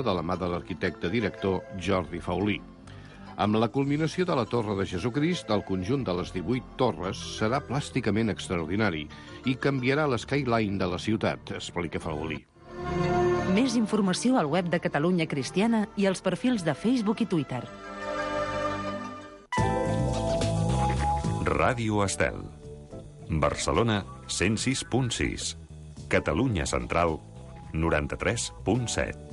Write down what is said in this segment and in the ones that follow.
de la mà de l'arquitecte director Jordi Faulí. Amb la culminació de la Torre de Jesucrist, el conjunt de les 18 torres serà plàsticament extraordinari i canviarà l'skyline de la ciutat, explica Faulí. Més informació al web de Catalunya Cristiana i als perfils de Facebook i Twitter. Ràdio Estel. Barcelona 106.6. Catalunya Central 93.7.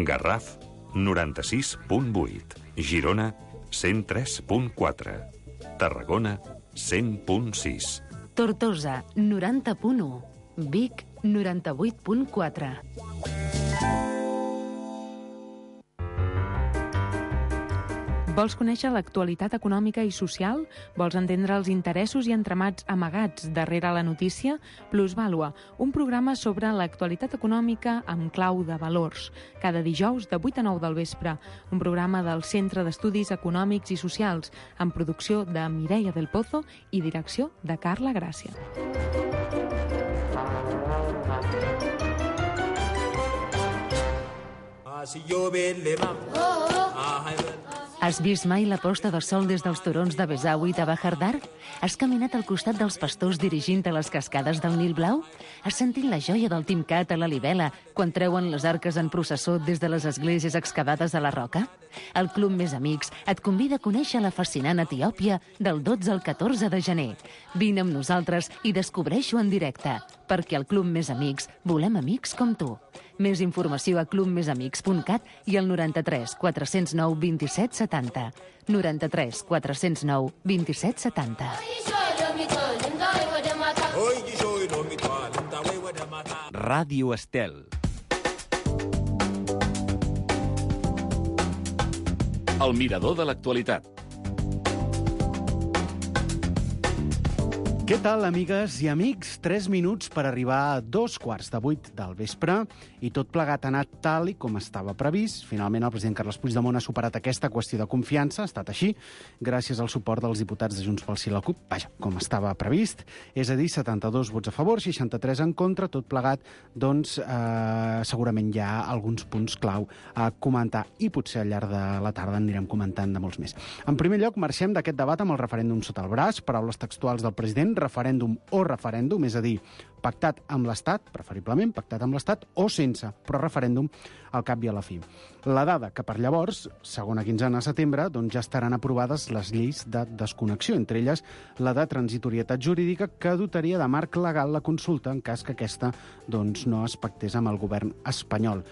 Garraf 96.8. Girona 103.4. Tarragona 100.6. Tortosa 90.1. Vic 98.4. Vols conèixer l'actualitat econòmica i social? Vols entendre els interessos i entramats amagats darrere la notícia? Plusvàlua, un programa sobre l'actualitat econòmica amb clau de valors. Cada dijous de 8 a 9 del vespre. Un programa del Centre d'Estudis Econòmics i Socials, amb producció de Mireia del Pozo i direcció de Carla Gràcia. Has vist mai la posta de sol des dels turons de Besawi i de Bahardar? Has caminat al costat dels pastors dirigint a les cascades del Nil Blau? Has sentit la joia del Timcat a la Libela quan treuen les arques en processó des de les esglésies excavades a la roca? El Club Més Amics et convida a conèixer la fascinant Etiòpia del 12 al 14 de gener. Vine amb nosaltres i descobreix-ho en directe, perquè al Club Més Amics volem amics com tu. Més informació a clubmesamics.cat i al 93 409 27 70. 93 409 27 70. Ràdio Estel. El mirador de l'actualitat. Què tal, amigues i amics? 3 minuts per arribar a 2:15 del vespre i tot plegat ha anat tal i com estava previst. Finalment, el president Carles Puigdemont ha superat aquesta qüestió de confiança, ha estat així, gràcies al suport dels diputats de Junts pel Sí i la CUP, vaja, com estava previst, és a dir, 72 vots a favor, 63 en contra, tot plegat, doncs, segurament hi ha alguns punts clau a comentar i potser al llarg de la tarda en anirem comentant de molts més. En primer lloc, marxem d'aquest debat amb el referèndum sota el braç, paraules textuals del president, referèndum o referèndum, és a dir, pactat amb l'Estat, preferiblement pactat amb l'Estat, o sense, però referèndum al cap i a la fi. La dada que per llavors, segona quinzena de setembre, doncs ja estaran aprovades les lleis de desconnexió, entre elles la de transitorietat jurídica que dotaria de marc legal la consulta en cas que aquesta doncs, no es pactés amb el govern espanyol,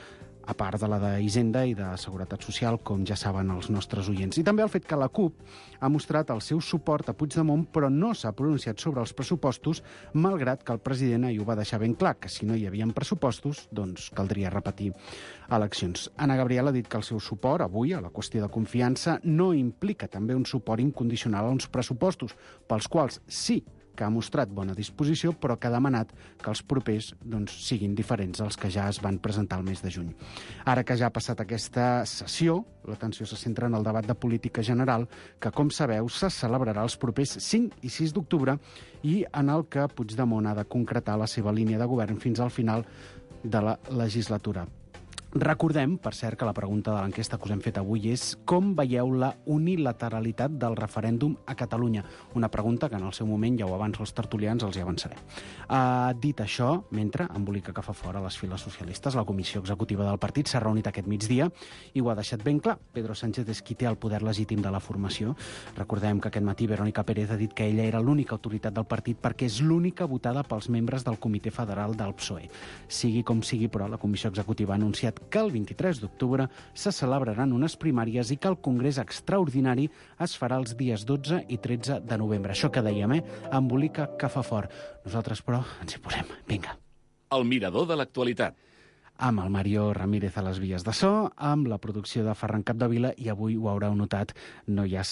a part de la d'Hisenda i de Seguretat Social, com ja saben els nostres oients. I també el fet que la CUP ha mostrat el seu suport a Puigdemont, però no s'ha pronunciat sobre els pressupostos, malgrat que el president ahir ho va deixar ben clar, que si no hi havia pressupostos, doncs caldria repetir eleccions. Anna Gabriel ha dit que el seu suport avui a la qüestió de confiança no implica també un suport incondicional a uns pressupostos, pels quals sí que ha mostrat bona disposició, però que ha demanat que els propers doncs, siguin diferents als que ja es van presentar el mes de juny. Ara que ja ha passat aquesta sessió, l'atenció se centra en el debat de política general, que, com sabeu, se celebrarà els propers 5 i 6 d'octubre i en el que Puigdemont ha de concretar la seva línia de govern fins al final de la legislatura. Recordem, per cert, que la pregunta de l'enquesta que us hem fet avui és com veieu la unilateralitat del referèndum a Catalunya? Una pregunta que en el seu moment, ja ho avanço els tertulians, els hi avançaré. Dit això, mentre embolica que fa fora les files socialistes, la comissió executiva del partit s'ha reunit aquest migdia i ho ha deixat ben clar. Pedro Sánchez és qui té el poder legítim de la formació. Recordem que aquest matí Verónica Pérez ha dit que ella era l'única autoritat del partit perquè és l'única votada pels membres del Comitè Federal del PSOE. Sigui com sigui, però, la comissió executiva ha anunciat que el 23 d'octubre se celebraran unes primàries i que el Congrés Extraordinari es farà els dies 12 i 13 de novembre. Això que dèiem, embolica que fa fort. Nosaltres, però, ens hi posem. Vinga. El mirador de l'actualitat. Amb el Mario Ramírez a les vies de so, amb la producció de Ferran Capdevila, i avui ho haureu notat, no hi ha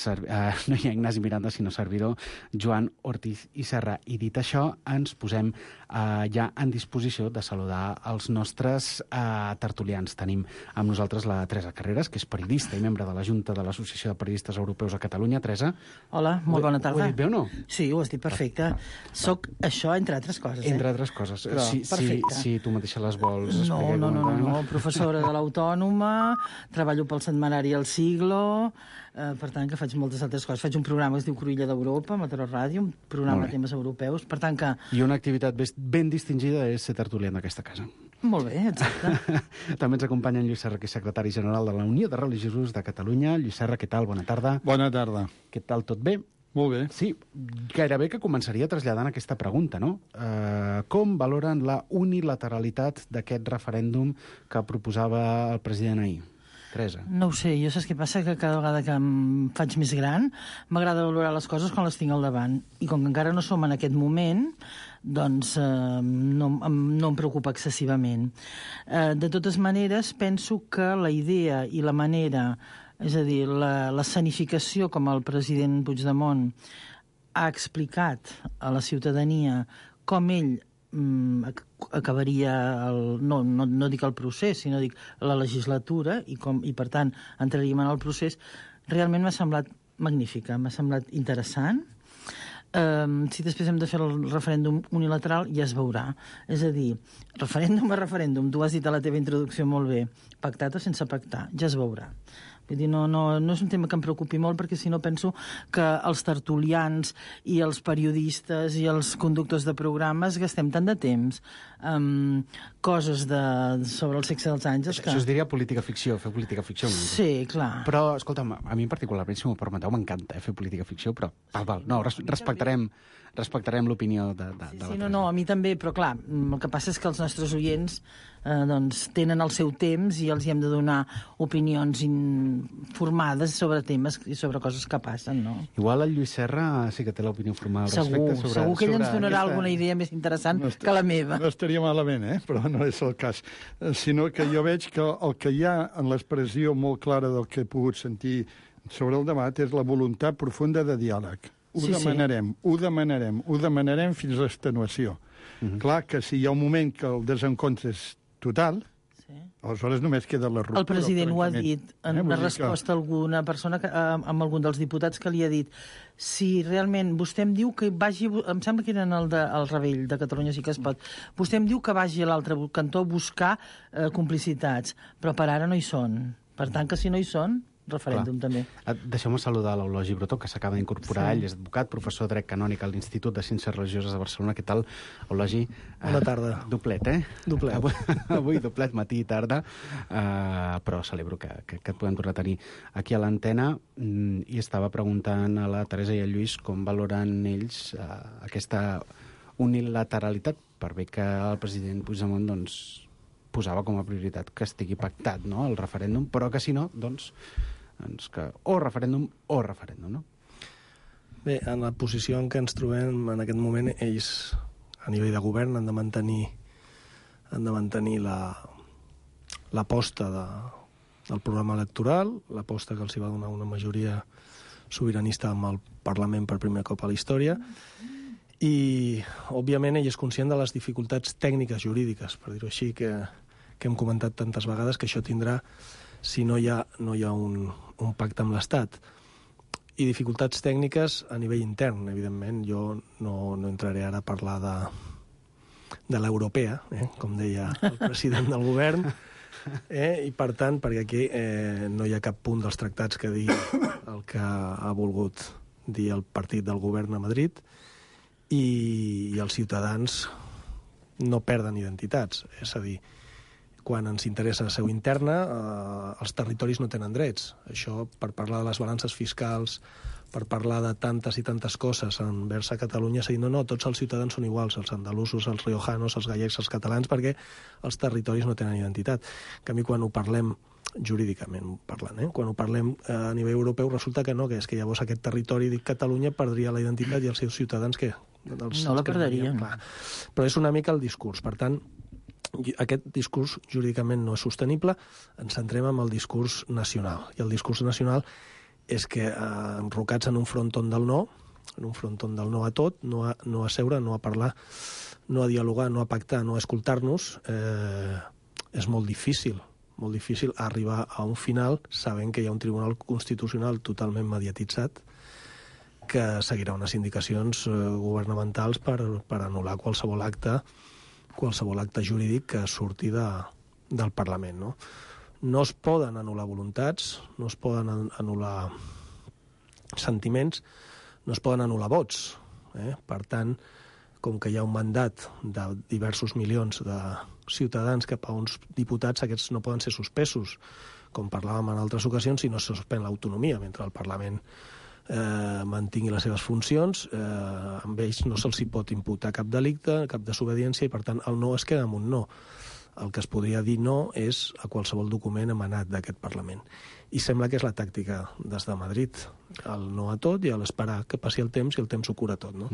Ignasi Miranda, sinó servidor, Joan Ortiz i Serra. I dit això, ens posem ja en disposició de saludar els nostres tertulians. Tenim amb nosaltres la Teresa Carreras, que és periodista i membre de la Junta de l'Associació de Periodistes Europeus a Catalunya. Teresa. Hola, molt bona tarda. Ho he dit bé o no? Sí, ho has dit perfecte. Soc això, entre altres coses. Entre altres coses. Però, si tu mateixa les vols explicar. No, professora de l'Autònoma, treballo pel setmanari El Siglo, per tant que faig moltes altres coses. Faig un programa que es diu Cruïlla d'Europa, Mataró Ràdio, un programa de temes europeus, per tant que... I una activitat ben distingida és ser tertulià d'aquesta casa. Molt bé, exacte. També ens acompanya en Lluís Serra, que és secretari general de la Unió de Religiosos de Catalunya. Lluís Serra, què tal? Bona tarda. Bona tarda. Què tal? Tot bé? Molt bé. Sí, gairebé que començaria traslladant aquesta pregunta, no? Com valoren la unilateralitat d'aquest referèndum que proposava el president ahir? Teresa. No ho sé, jo saps què passa? Que cada vegada que em faig més gran m'agrada valorar les coses quan les tinc al davant. I com que encara no som en aquest moment, doncs no em preocupa excessivament. De totes maneres, penso que la idea i la manera, és a dir, l'escenificació com el president Puigdemont ha explicat a la ciutadania com ell acabaria, no dic el procés, sinó dic la legislatura, i per tant entraríem en el procés, realment m'ha semblat magnífica, m'ha semblat interessant. Si després hem de fer el referèndum unilateral, ja es veurà. És a dir, referèndum a referèndum, tu has dit a la teva introducció molt bé, pactat o sense pactar, ja es veurà. Vull dir, no és un tema que em preocupi molt, perquè si no penso que els tertulians i els periodistes i els conductors de programes gastem tant de temps amb coses sobre el sexe dels àngels que... Això es diria política ficció, fer política ficció. Sí, clar. Però, escolta'm, a mi particularment, si m'ho permeteu, m'encanta fer política ficció, però no, respectarem l'opinió de la Sí, no, a mi també, però clar, el que passa és que els nostres oients doncs tenen el seu temps i els hi hem de donar opinions informades sobre temes i sobre coses que passen, no? Igual el Lluís Serra sí que té l'opinió formada al respecte. Segur que ell ens donarà alguna idea més interessant que la meva. No estaria malament, però no és el cas. Sinó que jo veig que el que hi ha en l'expressió molt clara del que he pogut sentir sobre el debat és la voluntat profunda de diàleg. Ho demanarem fins a l'extenuació. Clar que si hi ha un moment que el desencontre és total, aleshores només queda la ruptura. El president ho ha dit en una resposta a alguna persona, amb algun dels diputats que li ha dit si realment vostè em diu que vagi, em sembla que era el Rebell de Catalunya sí que es pot, vostè em diu que vagi a l'altre cantó a buscar complicitats, però per ara no hi són. Per tant, que si no hi són, referèndum també. Deixeu-me saludar l'Eulogi Brotó, que s'acaba d'incorporar. Ell és advocat, professor de dret canònic a l'Institut de Ciències Religioses de Barcelona. Què tal, Eulogi? Bona tarda. Doblet, Doblet. Avui doblet, matí i tarda, però celebro que et podem tornar a tenir aquí a l'antena, i estava preguntant a la Teresa i al Lluís com valoren ells aquesta unilateralitat, per bé que el president Puigdemont posava com a prioritat que estigui pactat, no?, el referèndum, però que si no, doncs que o referèndum, no? Bé, en la posició en què ens trobem en aquest moment, ells, a nivell de govern, han de mantenir l'aposta del programa electoral, l'aposta que els hi va donar una majoria sobiranista amb el Parlament per primer cop a la història, i, òbviament, ell és conscient de les dificultats tècniques jurídiques, per dir-ho així, que hem comentat tantes vegades, que això tindrà si no hi ha un pacte amb l'Estat. I dificultats tècniques a nivell intern, evidentment. Jo no entraré ara a parlar de l'europea, com deia el president del govern, i per tant, perquè aquí no hi ha cap punt dels tractats que digui el que ha volgut dir el partit del govern a Madrid, i els ciutadans no perden identitats. És a dir, quan ens interessa la seu interna, els territoris no tenen drets. Això, per parlar de les balances fiscals, per parlar de tantes i tantes coses envers a Catalunya, s'ha dit, no, tots els ciutadans són iguals, els andalusos, els riojanos, els gallecs, els catalans, perquè els territoris no tenen identitat. En canvi, quan ho parlem jurídicament parlant, quan ho parlem a nivell europeu, resulta que no, que és que llavors aquest territori, dic Catalunya, perdria la identitat i els seus ciutadans, què? No la perdarien. Però és una mica el discurs. Per tant, aquest discurs jurídicament no és sostenible, ens centrem en el discurs nacional. I el discurs nacional és que, enrocats en un fronton del no, a tot, no a seure, no a parlar, no a dialogar, no a pactar, no a escoltar-nos, és molt difícil arribar a un final sabent que hi ha un Tribunal Constitucional totalment mediatitzat que seguirà unes indicacions governamentals per anul·lar qualsevol acte jurídic que surti del Parlament, no? No es poden anul·lar voluntats, no es poden anul·lar sentiments, no es poden anul·lar vots. Per tant, com que hi ha un mandat de diversos milions de ciutadans cap a uns diputats, aquests no poden ser suspesos, com parlàvem en altres ocasions, si no se suspèn l'autonomia, mentre el Parlament mantingui les seves funcions, amb ells no se'ls pot imputar cap delicte, cap desobediència, i per tant el no es queda amb un no. El que es podria dir no és a qualsevol document emanat d'aquest Parlament. I sembla que és la tàctica des de Madrid, el no a tot i l'esperar que passi el temps i el temps ho cura tot, no?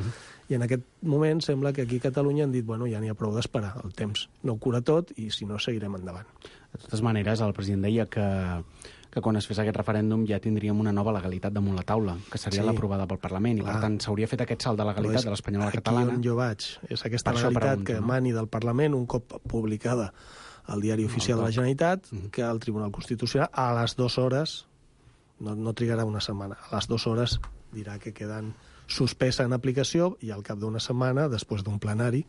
I en aquest moment sembla que aquí a Catalunya han dit, bueno, ja n'hi ha prou d'esperar, el temps no ho cura tot i si no seguirem endavant. De totes maneres, el president deia que quan es fes aquest referèndum ja tindríem una nova legalitat damunt la taula, que seria l'aprovada pel Parlament, i per tant s'hauria fet aquest salt de legalitat de l'espanyola a la catalana. Aquí on jo vaig, és aquesta legalitat que emani del Parlament un cop publicada al Diari Oficial de la Generalitat, que el Tribunal Constitucional a les 2 hores, no trigarà una setmana, a les 2 hores dirà que queden suspesa en aplicació i al cap d'una setmana, després d'un plenari,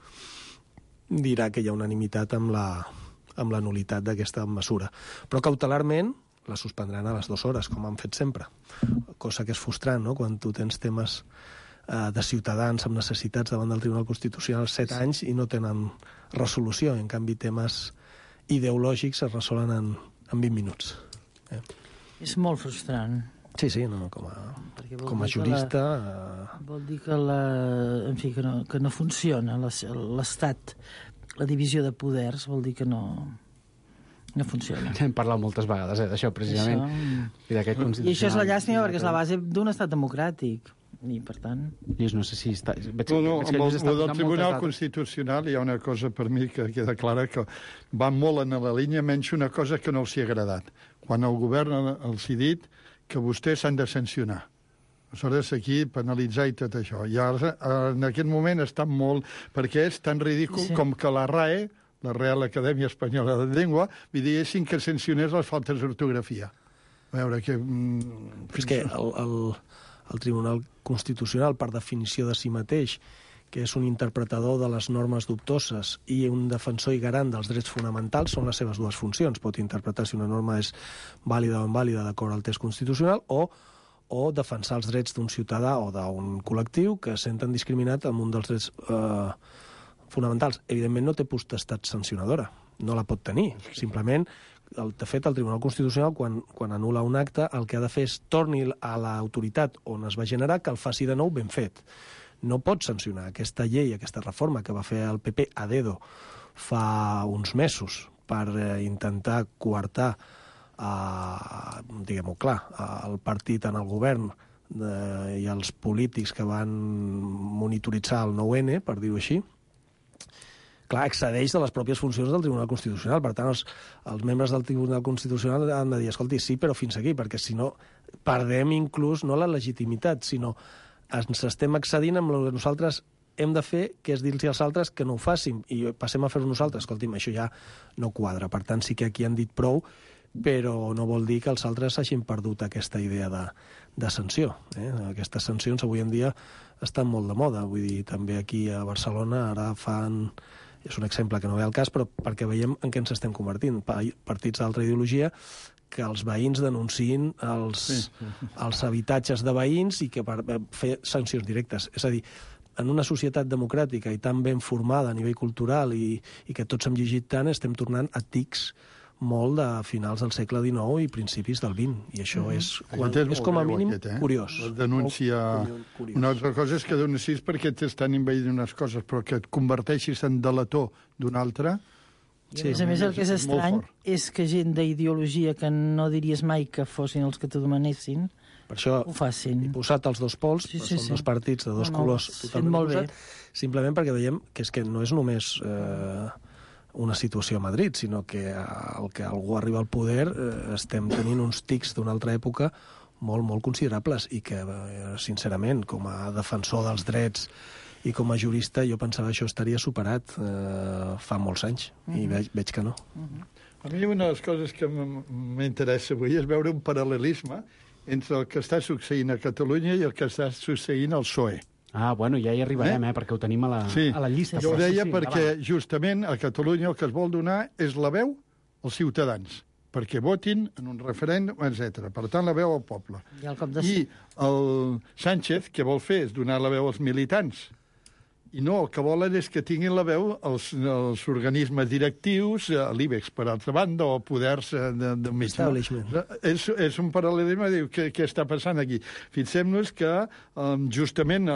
dirà que hi ha unanimitat amb la nul·litat d'aquesta mesura. Però cautelarment la suspendran a les 2 hores, com han fet sempre. Cosa que és frustrant, no?, quan tu tens temes de ciutadans amb necessitats davant del Tribunal Constitucional 7 anys i no tenen resolució. En canvi, temes ideològics es resolen en 20 minuts. És molt frustrant. Sí, no, com a jurista... Vol dir que, en fi, que no funciona l'Estat, la divisió de poders, vol dir que no funciona. Hem parlat moltes vegades d'això, precisament. I això és la llàstima perquè és la base d'un estat democràtic. I, per tant... Lluís, no sé si està... Amb el del Tribunal Constitucional hi ha una cosa per mi que queda clara, que va molt en la línia, menys una cosa que no els hi ha agradat. Quan el govern els ha dit que vostès s'han de sancionar. Aleshores, aquí, penalitzar i tot això. I ara, en aquest moment, està molt... perquè és tan ridícul com que la RAE, la Real Acadèmia Espanyola de Llengua, diguessin que sancionés les faltes d'ortografia. A veure, que... És que el Tribunal Constitucional, per definició de si mateix, que és un interpretador de les normes dubtoses i un defensor i garant dels drets fonamentals, són les seves dues funcions. Pot interpretar si una norma és vàlida o invàlida d'acord al text constitucional o defensar els drets d'un ciutadà o d'un col·lectiu que senten discriminat amb un dels drets fonamentals. Evidentment no té potestat sancionadora, no la pot tenir. Simplement, de fet, el Tribunal Constitucional, quan anul·la un acte, el que ha de fer és torni a l'autoritat on es va generar que el faci de nou ben fet. No pot sancionar aquesta llei, aquesta reforma que va fer el PP a dedo fa uns mesos per intentar coartar, diguem-ho clar, el partit en el govern i els polítics que van monitoritzar el 9-N, per dir-ho així. Clar, excedeix de les pròpies funcions del Tribunal Constitucional. Per tant, els membres del Tribunal Constitucional han de dir, escolti, sí, però fins aquí, perquè si no perdem inclús no la legitimitat, sinó ens estem excedint amb el que nosaltres hem de fer, que és dir-los als altres que no ho facin, i passem a fer-ho nosaltres. Escolti'm, això ja no quadra. Per tant, sí que aquí han dit prou, però no vol dir que els altres hagin perdut aquesta idea de sanció. Aquestes sancions avui en dia estan molt de moda. Vull dir, també aquí a Barcelona ara fan... És un exemple que no ve al cas, però perquè veiem en què ens estem convertint. Partits d'altra ideologia que els veïns denunciïn els habitatges de veïns i que per fer sancions directes. És a dir, en una societat democràtica i tan ben formada a nivell cultural i que tots hem llegit tant, estem tornant a tics molt de finals del segle XIX i principis del XX. I això és com a mínim curiós. Denúncia... Una altra cosa és que denuncis perquè t'estan invadint unes coses, però que et converteixis en delator d'una altra... I a més el que és estrany és que gent d'ideologia que no diries mai que fossin els que t'ho demanessin, per això ho facin. He posat els dos pols, són dos partits de dos colors totalment oposats, simplement perquè veiem que és que no és només... una situació a Madrid, sinó que el que algú arriba al poder estem tenint uns tics d'una altra època molt, molt considerables i que, sincerament, com a defensor dels drets i com a jurista, jo pensava que això estaria superat fa molts anys i veig que no. A mi una de les coses que m'interessa avui és veure un paral·lelisme entre el que està succeint a Catalunya i el que està succeint al PSOE. Bueno, ja hi arribarem, perquè ho tenim a la llista. Jo ho deia perquè justament a Catalunya el que es vol donar és la veu els ciutadans perquè votin en un referèndum, etc. Per tant, la veu al poble. I el Sánchez, què vol fer? És donar la veu als militants. I no, el que volen és que tinguin la veu els organismes directius, l'IBEX, per altra banda, o poders de mig. És un paral·lelisme, diu, què està passant aquí? Fixem-nos que justament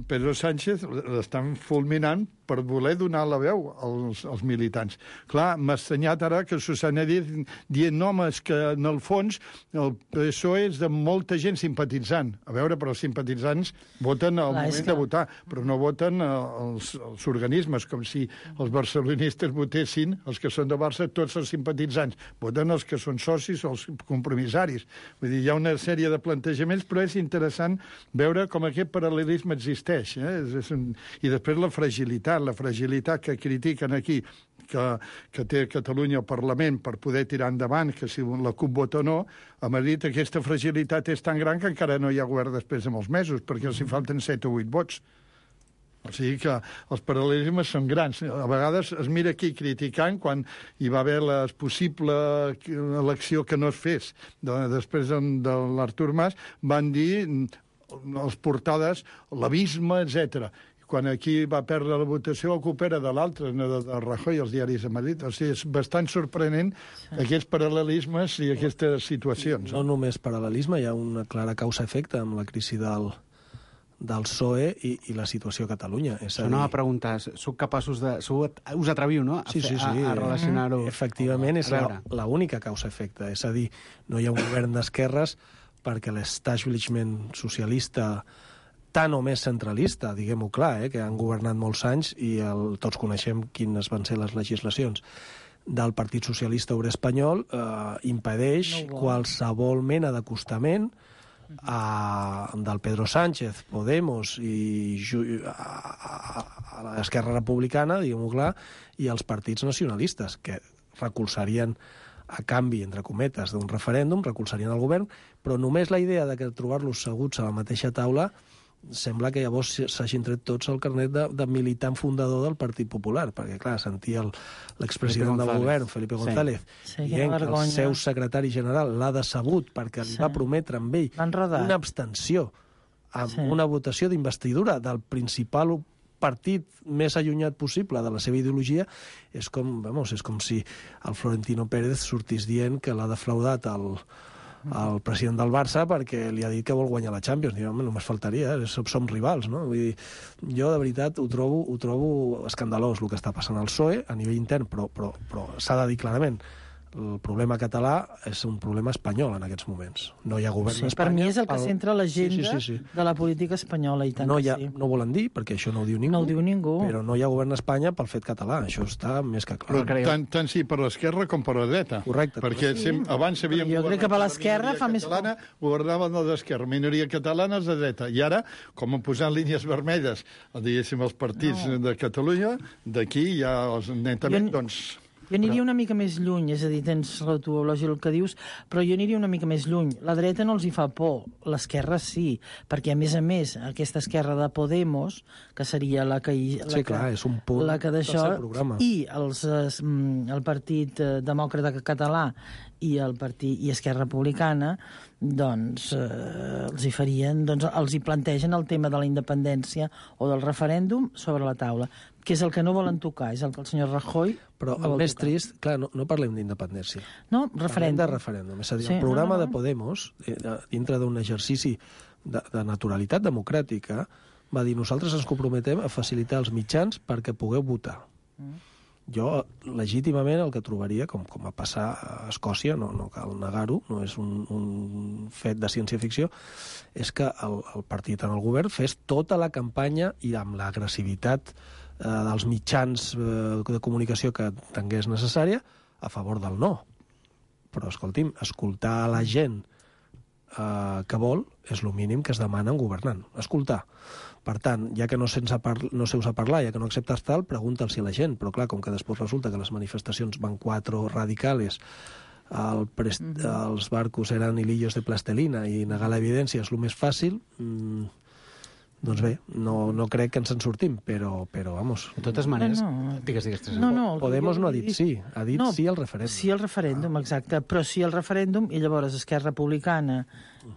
Pedro Sánchez l'estan fulminant per voler donar la veu als militants. Clar, m'ha estranyat ara que Susana dient, no, home, és que en el fons el PSOE és de molta gent simpatitzant. A veure, però els simpatitzants voten al moment de votar, però no voten els organismes, com si els barcelonistes votessin, els que són de Barça, tots els simpatitzants. Voten els que són socis o els compromissaris. Vull dir, hi ha una sèrie de plantejaments, però és interessant veure com aquest paral·lelisme existeix. I després la fragilitat que critiquen aquí, que té Catalunya al Parlament per poder tirar endavant, que si la CUP vota o no, a Madrid aquesta fragilitat és tan gran que encara no hi ha govern després de molts mesos, perquè els hi falten 7 o 8 vots. O sigui que els paral·lelismes són grans. A vegades es mira aquí criticant quan hi va haver la possible elecció que no es fes. Després de l'Artur Mas van dir les portades, l'abisme, etc. Quan aquí va perdre la votació, el culpa era de l'altre, de Rajoy, als diaris de Madrid. O sigui, és bastant sorprenent aquests paral·lelismes i aquestes situacions. No només paral·lelisme, hi ha una clara causa-efecte amb la crisi del PSOE i la situació a Catalunya. Això no va preguntar, sou capaços de... Us atreviu, no?, a relacionar-ho. Efectivament, és l'única causa-efecte. És a dir, no hi ha un govern d'esquerres perquè l'establishment socialista tant o més centralista, diguem-ho clar, que han governat molts anys i tots coneixem quines van ser les legislacions del Partit Socialista Obrer Espanyol, impedeix qualsevol mena d'acostament del Pedro Sánchez, Podemos i a l'Esquerra Republicana, diguem-ho clar, i els partits nacionalistes, que recolzarien a canvi, entre cometes, d'un referèndum, recolzarien el govern, però només la idea de trobar-los seguts a la mateixa taula sembla que llavors s'hagin tret tots el carnet de militant fundador del Partit Popular, perquè, clar, sentia l'expresident del govern, Felipe González, dient que el seu secretari general l'ha decebut perquè li va prometre amb ell una abstenció amb una votació d'investidura del principal partit més allunyat possible de la seva ideologia, és com si el Florentino Pérez sortís dient que l'ha defraudat el president del Barça perquè li ha dit que vol guanyar la Champions. Només faltaria, som rivals, no? Vull dir, jo de veritat ho trobo escandalós el que està passant al PSOE a nivell intern, però s'ha de dir clarament, el problema català és un problema espanyol en aquests moments. No hi ha govern a Espanya. Per mi és el que centra l'agenda de la política espanyola. I tant no volen dir, perquè això no ho diu ningú. No ho diu ningú. Però no hi ha govern a Espanya pel fet català. Això està més que clar. Tant sí per l'esquerra com per la dreta. Correcte. Perquè abans havíem jo crec que per l'esquerra fa més... Governaven els d'esquerra, minoria catalana els de dreta. I ara, com han posat línies vermelles, diguéssim, els partits de Catalunya, d'aquí ja els netament, doncs... Jo aniria una mica més lluny, és a dir, tens tu, lògic, el que dius, però jo aniria una mica més lluny. La dreta no els hi fa por, l'esquerra sí, perquè, a més, aquesta esquerra de Podemos, que seria la que... és un punt del seu programa. I el Partit Demòcrata Català i Esquerra Republicana, doncs els hi plantegen el tema de la independència o del referèndum sobre la taula, que és el que no volen tocar, és el que el senyor Rajoy... Però el més trist, clar, no parlem d'independència. No, referèndum. Parlem de referèndum. És a dir, el programa de Podemos, dintre d'un exercici de naturalitat democràtica, va dir, nosaltres ens comprometem a facilitar els mitjans perquè pugueu votar. Jo, legítimament, el que trobaria, com va passar a Escòcia, no cal negar-ho, no és un fet de ciència-ficció, és que el partit en el govern fes tota la campanya i amb l'agressivitat dels mitjans de comunicació que tingués necessària a favor del no. Però, escolti'm, escoltar a la gent que vol és el mínim que es demana en governant. Escoltar. Per tant, ja que no seus a parlar, ja que no acceptes tal, pregunta'ls a la gent. Però, clar, com que després resulta que les manifestacions van 4 radicales, els barcos eren hilillos de plastelina i negar l'evidència és el més fàcil, Doncs bé, no crec que ens en sortim, però vamos... De totes maneres... Digues. Podemos no ha dit sí, ha dit sí al referèndum. Sí al referèndum, exacte, però sí al referèndum, i llavors Esquerra Republicana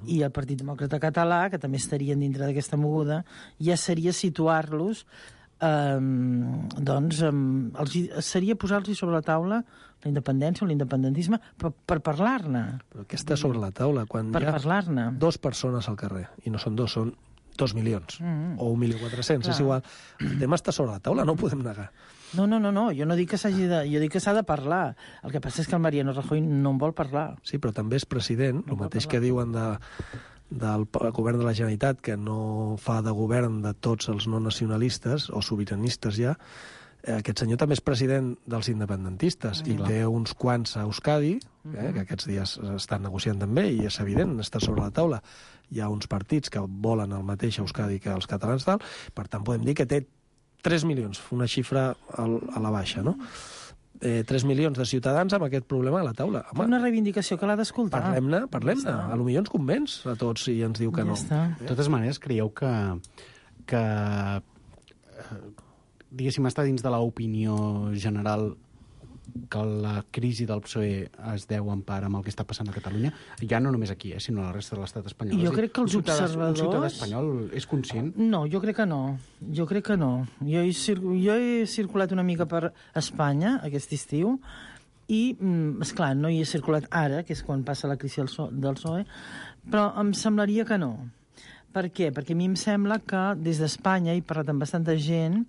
i el Partit Demòcrata Català, que també estarien dintre d'aquesta moguda, ja seria situar-los, seria posar-los sobre la taula la independència o l'independentisme per parlar-ne. Però què està sobre la taula? Quan per hi ha parlar-ne. 2 persones al carrer, i no són 2, són 2 milions, o 1.400.000, és igual. El tema està sobre la taula, no ho podem negar. No, jo no dic que s'hagi de... Jo dic que s'ha de parlar. El que passa és que el Mariano Rajoy no en vol parlar. Sí, però també és president, el mateix que diuen del govern de la Generalitat, que no fa de govern de tots els no nacionalistes, o sobiranistes ja. Aquest senyor també és president dels independentistes, i té uns quants a Euskadi, que aquests dies estan negociant també, i és evident, està sobre la taula. Hi ha uns partits que volen el mateix a Euskadi que els catalans, tal. Per tant, podem dir que té 3 milions, una xifra a la baixa, no? 3 milions de ciutadans amb aquest problema a la taula. Home, una reivindicació que l'ha d'escoltar. Parlem-ne. A lo millor ens convenç a tots i ens diu que no. De totes maneres, creieu que diguéssim, està dins de l'opinió general que la crisi del PSOE es deu en part amb el que està passant a Catalunya, ja no només aquí, sinó a la resta de l'estat espanyol. Jo crec que els observadors... Un ciutadà espanyol és conscient? No, jo crec que no. Jo he circulat una mica per Espanya aquest estiu i, esclar, no hi he circulat ara, que és quan passa la crisi del PSOE, però em semblaria que no. Per què? Perquè a mi em sembla que des d'Espanya, he parlat amb bastanta gent,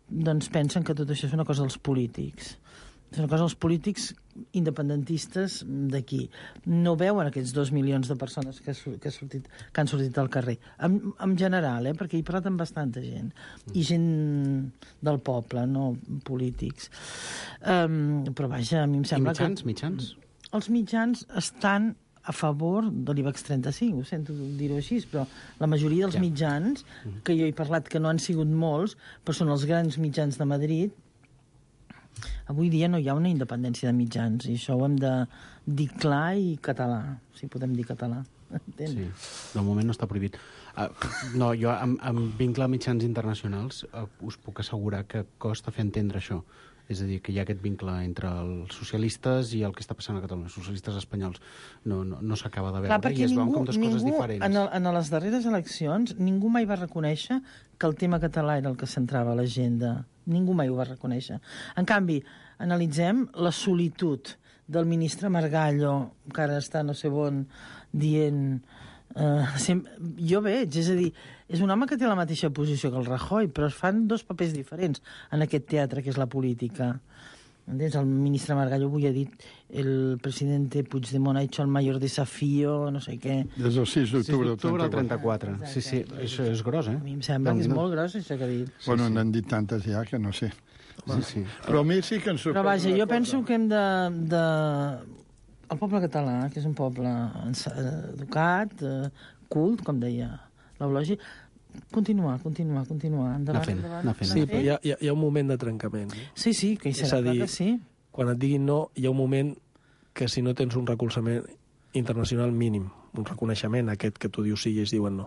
doncs pensen que tot això és una cosa dels polítics. És una cosa dels polítics independentistes d'aquí. No veuen aquests 2 milions de persones que han sortit al carrer. En general, perquè he parlat amb bastanta gent. I gent del poble, no polítics. Però vaja, a mi em sembla que... Mitjans? Els mitjans estan a favor de l'IBEX 35, ho sento dir-ho així, però la majoria dels mitjans, que jo he parlat que no han sigut molts, però són els grans mitjans de Madrid. Avui dia no hi ha una independència de mitjans, i això ho hem de dir clar i català, si podem dir català. Sí, de moment no està prohibit. No, jo, amb vincle a mitjans internacionals, us puc assegurar que costa fer entendre això. És a dir, que hi ha aquest vincle entre els socialistes i el que està passant a Catalunya. Els socialistes espanyols no s'acaba de veure i es veuen com dues coses diferents. En les darreres eleccions, ningú mai va reconèixer que el tema català era el que centrava l'agenda. Ningú mai ho va reconèixer. En canvi, analitzem la solitud del ministre Margallo, que ara està no sé on, dient... jo veig, és a dir, és un home que té la mateixa posició que el Rajoy, però es fan 2 papers diferents en aquest teatre que és la política. Entens? El ministre Margallo avui ha dit el presidente Puigdemont ha hecho el mayor desafío, no sé què. Des del 6 d'octubre del 34. Sí, això és gros, A mi em sembla que és molt gros, això que ha dit. Bueno, n'han dit tantes ja que no sé. Sí. Però a mi sí que ens sorprèn. Però vaja, jo penso que hem de... El poble català, que és un poble educat, cult, com deia l'Eulogi, continuar. Endavant. Sí, però hi ha un moment de trencament. Sí, que hi serà, clar que sí. Quan et diguin no, hi ha un moment que si no tens un recolzament internacional mínim, un reconeixement aquest que tu dius sí i ells diuen no,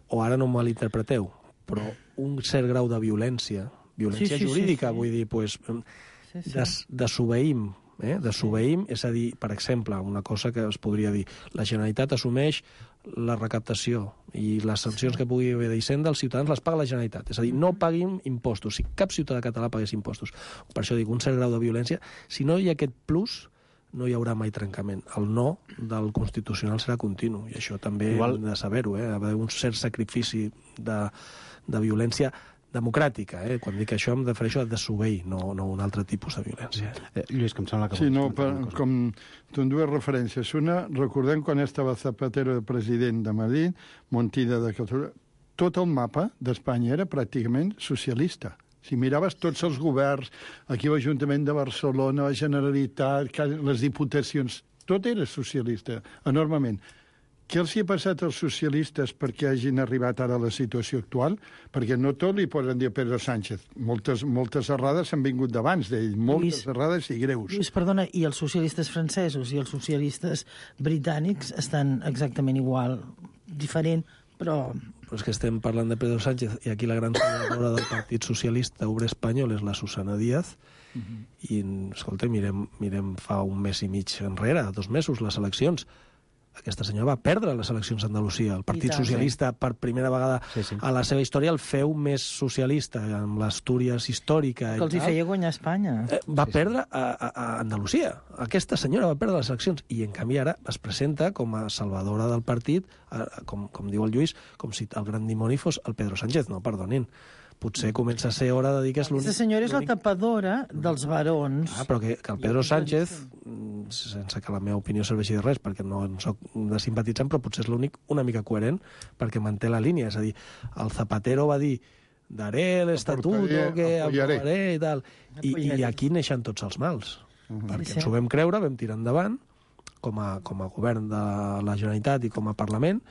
o ara no me l'interpreteu, però un cert grau de violència jurídica, vull dir, desobeïm, desobeïm, és a dir, per exemple, una cosa que es podria dir, la Generalitat assumeix la recaptació i les sancions que pugui haver d'Hisenda, els ciutadans les paga la Generalitat. És a dir, no paguin impostos. Si cap ciutadà català pagués impostos. Per això dic, un cert grau de violència. Si no hi ha aquest plus, no hi haurà mai trencament. El no del Constitucional serà continu, i això també hem de saber-ho, ha d'haver un cert sacrifici de violència democràtica. Quan dic això em refereixo a desobeir, no un altre tipus de violència. Lluís, que em sembla que... Sí, no, com en dues referències. Una, recordem quan estava Zapatero de president de Madrid, Montilla de Catalunya, tot el mapa d'Espanya era pràcticament socialista. Si miraves tots els governs, aquí l'Ajuntament de Barcelona, la Generalitat, les diputacions, tot era socialista, enormement. Què els hi ha passat als socialistes perquè hagin arribat ara a la situació actual? Perquè no tot li poden dir a Pedro Sánchez. Moltes errades han vingut d'abans d'ell, moltes errades i greus. Lluís, perdona, i els socialistes francesos i els socialistes britànics estan exactament igual, diferent, però... Però és que estem parlant de Pedro Sánchez i aquí la gran senadora del Partit Socialista Obrer Espanyol és la Susana Díaz i, escolta, mirem fa un mes i mig enrere, 2 mesos, les eleccions. Aquesta senyora va perdre les eleccions a Andalusia. El Partit Socialista, per primera vegada a la seva història, el feu més socialista, amb l'Astúries històrica. Que els hi feia guanyar Espanya. Va perdre a Andalusia. Aquesta senyora va perdre les eleccions i, en canvi, ara es presenta com a salvadora del partit, com diu el Lluís, com si el gran dimoni fos el Pedro Sánchez. No, perdonin. Potser comença a ser hora de dir que és l'únic... Aquesta senyora és la tapadora dels barons. Però que el Pedro Sánchez, sense que la meva opinió serveixi de res, perquè no en soc de simpatitzant, però potser és l'únic una mica coherent, perquè manté la línia. És a dir, el Zapatero va dir daré l'estatuto que aprovaré i tal. I aquí neixen tots els mals. Perquè ens ho vam creure, vam tirar endavant, com a govern de la Generalitat i com a Parlament,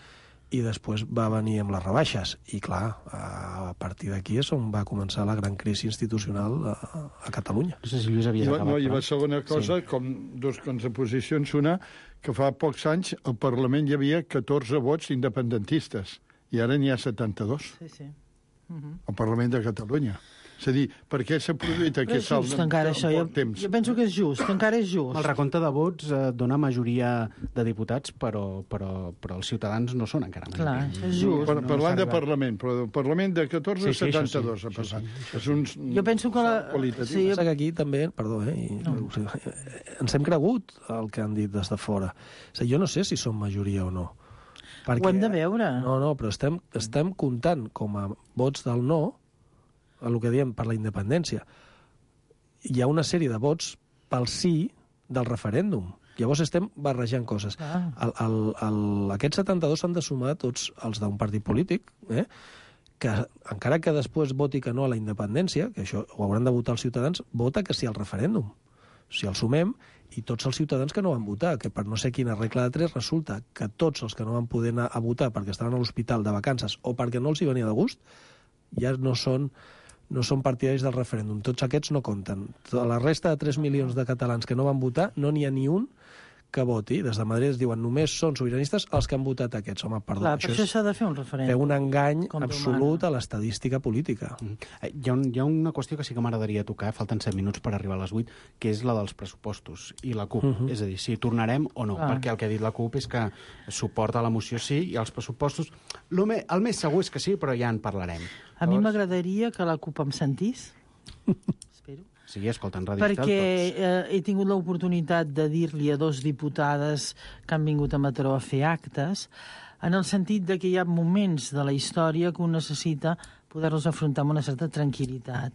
i després va venir amb les rebaixes. I, clar, a partir d'aquí és on va començar la gran crisi institucional a Catalunya. No sé si Lluís havies acabat. I la segona cosa, com dos contraposicions, una, que fa pocs anys al Parlament hi havia 14 vots independentistes, i ara n'hi ha 72. Sí. Al Parlament de Catalunya. És a dir, per què s'ha produït aquest salt en poc temps? Jo penso que és just, que encara és just. El recompte de vots dona majoria de diputats, però els ciutadans no són encara majoria. Clar, això és just. Parlant de Parlament, però del Parlament de 14 a 72 ha passat. És un... Jo penso que Passa que aquí també, perdó, ens hem cregut el que han dit des de fora. És a dir, jo no sé si som majoria o no. Ho hem de veure. No, però estem comptant com a vots del no el que diem per la independència. Hi ha una sèrie de vots pel sí del referèndum. Llavors estem barrejant coses. Aquests 72 s'han de sumar tots els d'un partit polític, que encara que després voti que no a la independència, que això ho hauran de votar els ciutadans, vota que sí al referèndum. Si el sumem, i tots els ciutadans que no van votar, que per no sé quina regla de 3 resulta que tots els que no van poder anar a votar perquè estaven a l'hospital de vacances o perquè no els hi venia de gust, ja no són partidaris del referèndum. Tots aquests no compten. La resta de 3 milions de catalans que no van votar, no n'hi ha ni un que voti. Des de Madrid es diuen només són sobiranistes els que han votat aquests. Home, perdó. Clar, per això s'ha de fer un referèndum. Fer un engany absolut a l'estadística política. Hi ha una qüestió que sí que m'agradaria tocar, falten 7 minuts per arribar a les 8, que és la dels pressupostos i la CUP. És a dir, si tornarem o no, perquè el que ha dit la CUP és que suporta la moció sí, i els pressupostos... El més segur és que sí, però ja en parlarem. A mi m'agradaria que la CUP em sentís. Espero. Sí, escolten Ràdio Estel, perquè he tingut l'oportunitat de dir-li a 2 diputades que han vingut a Mataró a fer actes, en el sentit de que hi ha moments de la història que un necessita poder-los afrontar amb una certa tranquil·litat.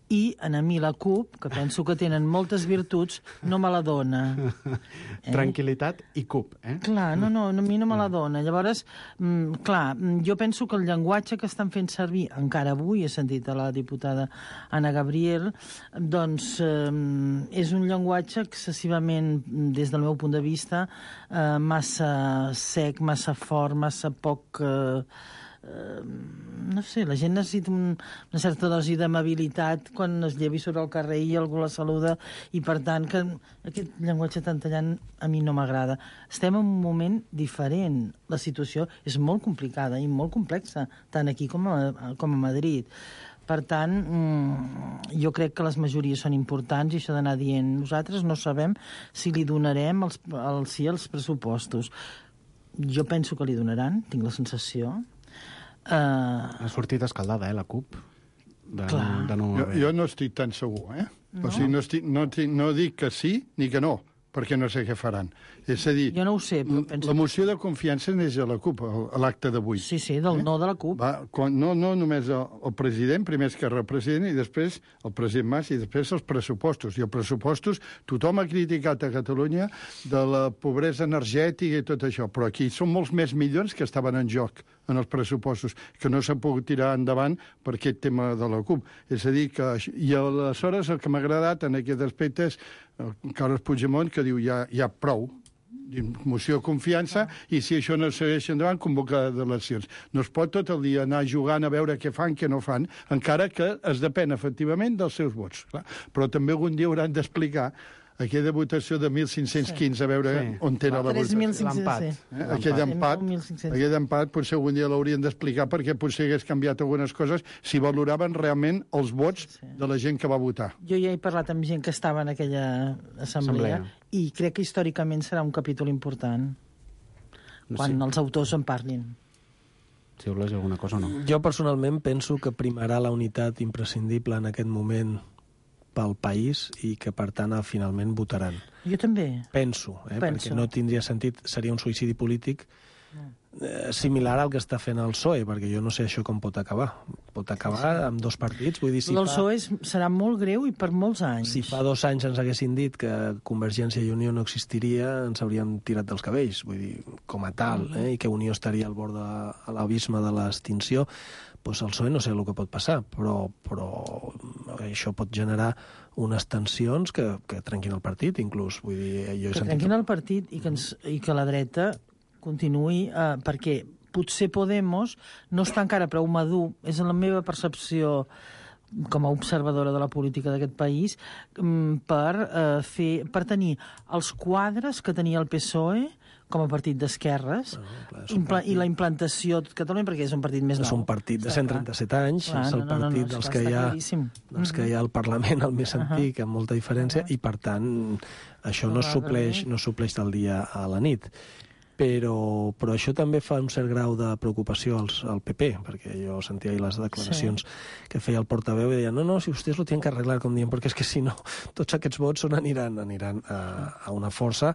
I a mi la CUP, que penso que tenen moltes virtuts, no me la dona. Tranquil·litat i CUP, Clar, no, a mi no me la dona. Llavors, clar, jo penso que el llenguatge que estan fent servir, encara avui he sentit a la diputada Anna Gabriel, doncs és un llenguatge excessivament, des del meu punt de vista, massa sec, massa fort, massa poc... no sé, la gent necessita una certa dosi d'amabilitat quan es llevi sobre el carrer i algú la saluda, i per tant que aquest llenguatge tan tallant a mi no m'agrada. Estem en un moment diferent. La situació és molt complicada i molt complexa, tant aquí com a Madrid. Per tant, jo crec que les majories són importants i això d'anar dient nosaltres no sabem si li donarem el sí als pressupostos. Jo penso que li donaran, tinc la sensació. Ha sortit escaldada, la CUP. Jo no estic tan segur, O sigui, no dic que sí ni que no, perquè no sé què faran. És a dir, jo no ho sé, però penso... La moció de confiança neix a la CUP, a l'acte d'avui. Sí, del no de la CUP. No només el president, primer Esquerra el president, i després el president Mas, i després els pressupostos. I els pressupostos, tothom ha criticat a Catalunya de la pobresa energètica i tot això, però aquí són molts més milions que estaven en joc en els pressupostos, que no s'ha pogut tirar endavant per aquest tema de la CUP. És a dir, que... I aleshores el que m'ha agradat en aquest aspecte és Carles Puigdemont, que diu ja prou, moció de confiança, i si això no segueix endavant, convoca eleccions. No es pot tot el dia anar jugant a veure què fan, què no fan, encara que es depèn efectivament dels seus vots. Clar. Però també algun dia hauran d'explicar aquella votació de 1.515, a veure on era la votació. 3.500. Aquell empat potser algun dia l'haurien d'explicar perquè potser hagués canviat algunes coses si valoraven realment els vots de la gent que va votar. Jo ja he parlat amb gent que estava en aquella assemblea i crec que històricament serà un capítol important quan els autors en parlin. Si voleu dir alguna cosa o no. Jo personalment penso que primarà la unitat imprescindible en aquest moment pel país i que, per tant, finalment votaran. Jo també. Penso. Perquè no tindria sentit, seria un suïcidi polític similar al que està fent el PSOE, perquè jo no sé això com pot acabar. Pot acabar amb dos partits. Vull dir, el PSOE serà molt greu i per molts anys. Si fa 2 anys ens haguessin dit que Convergència i Unió no existiria, ens hauríem tirat dels cabells, vull dir, com a tal, i que Unió estaria al bord de l'abisme de l'extinció. Doncs el PSOE no sé el que pot passar, però això pot generar unes tensions que trenquin el partit, inclús. Vull dir, que trenquin el partit i que la dreta continuï, perquè potser Podemos no està encara prou madur, és la meva percepció com a observadora de la política d'aquest país, per tenir els quadres que tenia el PSOE com a partit d'esquerres i la implantació a Catalunya, perquè és un partit més nou. És un partit de 137 anys, és el partit dels que hi ha al Parlament, el més antic, amb molta diferència, i per tant això no supleix del dia a la nit. Però això també fa un cert grau de preocupació al PP, perquè jo sentia ahir les declaracions que feia el portaveu i deia, no, si vostès lo tienen que arreglar, com dient, perquè és que si no, tots aquests vots aniran a una força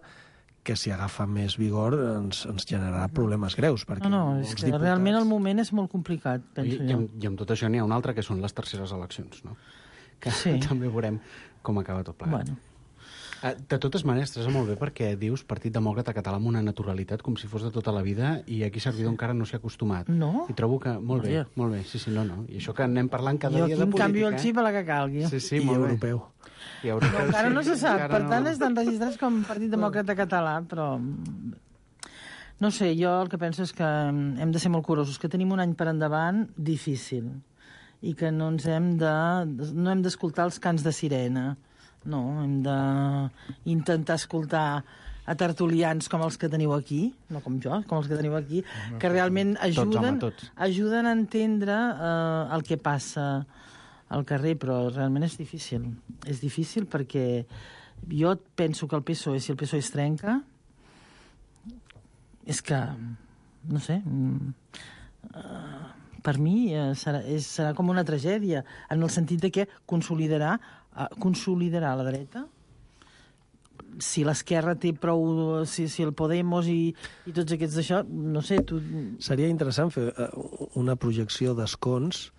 que si agafa més vigor ens generarà problemes greus. És que realment el moment és molt complicat, penso jo. I amb tot això n'hi ha una altra, que són les terceres eleccions, no? Que també veurem com acaba tot plegat. De totes maneres, Teresa, molt bé, perquè dius Partit Demòcrata Català amb una naturalitat com si fos de tota la vida, i aquí Servidor encara no s'hi ha acostumat. No? I trobo que molt bé. Sí, no. I això que anem parlant cada dia de política... Jo aquí em canvio el xip a la que calgui. Sí, molt bé. I europeu. Encara no se sap, per tant estan registrats com Partit Demòcrata Català, però... No sé, jo el que penso és que hem de ser molt curosos, que tenim un any per endavant difícil, i que no hem d'escoltar els cants de sirena. No, hem d'intentar escoltar a tertulians com els que teniu aquí, no com jo, com els que teniu aquí, que realment ajuden a entendre el que passa al carrer, però realment és difícil. És difícil perquè jo penso que el PSOE, si el PSOE es trenca, és que, no sé, per mi serà com una tragèdia, en el sentit de que consolidarà la dreta. Si l'esquerra té prou... Si el Podemos i tots aquests d'això, no sé, tu... Seria interessant fer una projecció d'escons,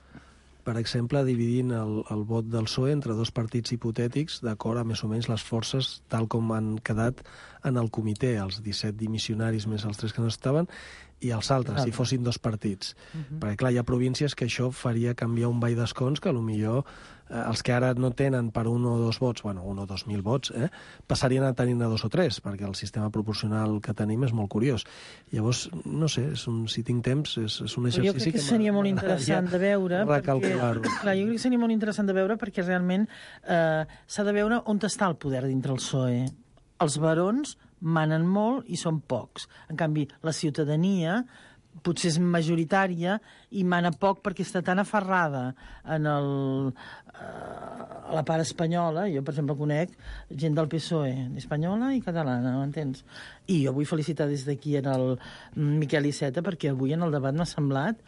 per exemple, dividint el vot del PSOE entre dos partits hipotètics, d'acord a més o menys les forces tal com han quedat en el comitè, els 17 dimissionaris més els 3 que no estaven, i els altres, si fossin dos partits. Perquè, clar, hi ha províncies que això faria canviar un ball d'escons que potser els que ara no tenen per 1 o 2 vots, 1 o 2.000 vots, passarien a tenir-ne 2 o 3, perquè el sistema proporcional que tenim és molt curiós. Llavors, no sé, si tinc temps, és un exercici... Jo crec que seria molt interessant de veure... Recalcular-ho. Clar, jo crec que seria molt interessant de veure perquè realment s'ha de veure on està el poder dintre el PSOE. Els barons manen molt i són pocs. En canvi, la ciutadania potser és majoritària i mana poc perquè està tan aferrada a la part espanyola. Jo, per exemple, conec gent del PSOE, espanyola i catalana, m'entens? I jo vull felicitar des d'aquí en el Miquel Iceta perquè avui en el debat m'ha semblat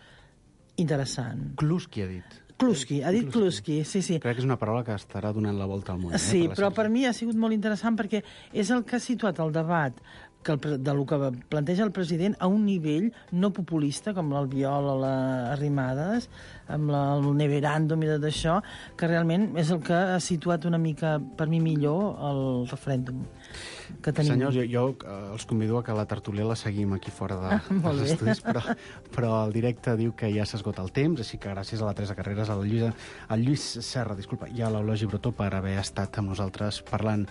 interessant. Kluski ha dit. Ha dit Kluski, sí. Crec que és una paraula que estarà donant la volta al món. Sí, però per mi ha sigut molt interessant perquè és el que ha situat el debat del que planteja el president a un nivell no populista, com l'Albiol o les Arrimadas, amb el Neveràndum i tot això, que realment és el que ha situat una mica, per mi, millor el referèndum que tenim. Senyors, jo els convido a que la tertúlia la seguim aquí fora dels estudis, però el directe diu que ja s'esgota el temps, així que gràcies a la Teresa Carreras, al Lluís Serra, i a l'Eulogi Brotó per haver estat amb nosaltres parlant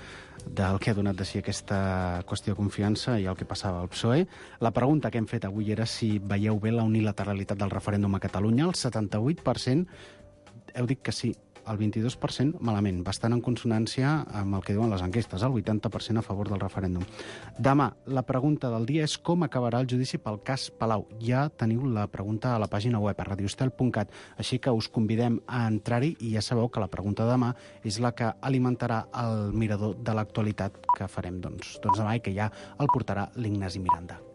del que ha donat de si aquesta qüestió de confiança i el que passava al PSOE. La pregunta que hem fet avui era si veieu bé la unilateralitat del referèndum a Catalunya. El 78% heu dit que sí, el 22% malament, bastant en consonància amb el que diuen les enquestes, el 80% a favor del referèndum. Demà, la pregunta del dia és com acabarà el judici pel cas Palau. Ja teniu la pregunta a la pàgina web, a radioestel.cat, així que us convidem a entrar-hi i ja sabeu que la pregunta de demà és la que alimentarà el mirador de l'actualitat que farem doncs demà i que ja el portarà l'Ignasi Miranda.